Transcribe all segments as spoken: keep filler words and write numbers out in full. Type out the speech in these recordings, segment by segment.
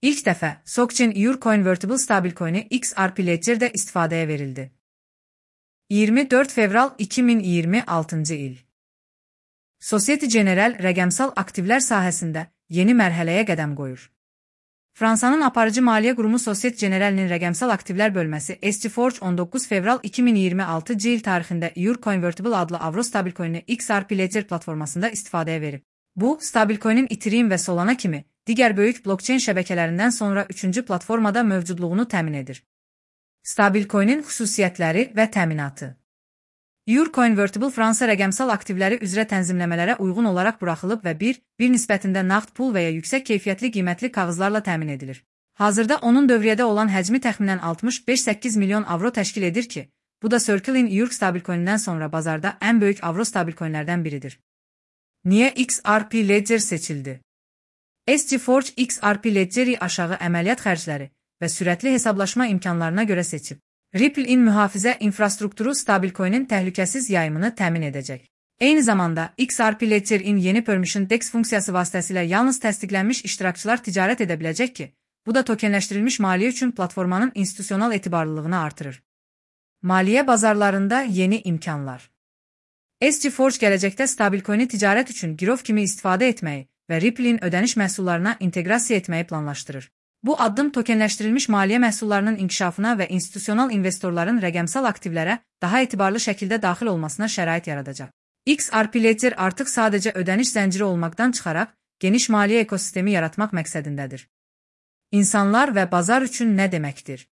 İlk dəfə SocGen Euro Convertible Stablecoin'i X R P Ledger'də istifadəyə verildi. iyirmi dörd fevral iki min iyirmi altıncı il. Societe Generale rəqəmsal aktivlər sahəsində yeni mərhələyə qədəm qoyur. Fransanın aparıcı maliyyə qurumu Societe Generale'nin rəqəmsal aktivlər bölməsi S T Forge on doqquz fevral iki min iyirmi altıncı il tarixində Euro Convertible adlı Avro stablecoin'i X R P Ledger platformasında istifadəyə verib. Bu, stablecoin'in Ethereum və Solana kimi digər böyük blockchain şəbəkələrindən sonra üçüncü platformada mövcudluğunu təmin edir. Stablecoin'in xüsusiyyətləri və təminatı. Euro Convertible Fransa rəqəmsal aktivləri üzrə tənzimləmələrə uyğun olaraq buraxılıb və bir, bir nisbətində nağd pul və ya yüksək keyfiyyətli qiymətli kağızlarla təmin edilir. Hazırda onun dövriyyədə olan həcmi təxminən altmış beş səkkiz milyon avro təşkil edir ki, bu da Circle-in Euro stablecoin'indən sonra bazarda ən böyük avro stablecoinlərdən biridir. Niyə X R P Ledger seçildi? S T Forge X R P Ledger-i aşağı əməliyyat xərcləri və sürətli hesablaşma imkanlarına görə seçib. Ripple-in mühafizə infrastrukturu stablecoin'in təhlükəsiz yayımını təmin edəcək. Eyni zamanda, X R P Ledger-in yeni Permission D E X funksiyası vasitəsilə yalnız təsdiqlənmiş iştirakçılar ticarət edə biləcək ki, bu da tokenləşdirilmiş maliyyə üçün platformanın institusional etibarlılığını artırır. Maliyyə bazarlarında yeni imkanlar. S T Forge gələcəkdə stablecoin'i ticarət üçün girov kimi istifadə etməyi və Ripple-in ödəniş məhsullarına inteqrasiya etməyi planlaşdırır. Bu addım tokenləşdirilmiş maliyyə məhsullarının inkişafına və institusional investorların rəqəmsal aktivlərə daha etibarlı şəkildə daxil olmasına şərait yaradacaq. X R P Ledger artıq sadəcə ödəniş zənciri olmaqdan çıxaraq, geniş maliyyə ekosistemi yaratmaq məqsədindədir. İnsanlar və bazar üçün nə deməkdir?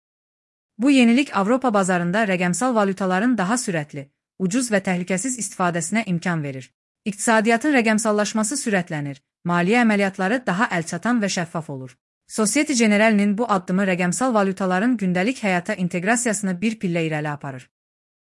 Bu yenilik Avropa bazarında rəqəmsal valyutaların daha sürətli, ucuz və təhlükəsiz istifadəsinə imkan verir. İqtisadiyyatın rəqəmsallaşması sürətlənir, maliyyə əməliyyatları daha əlçatan və şəffaf olur. Societe Generale'nin bu addımı rəqəmsal valyutaların gündəlik həyata inteqrasiyasını bir pillə irəli aparır.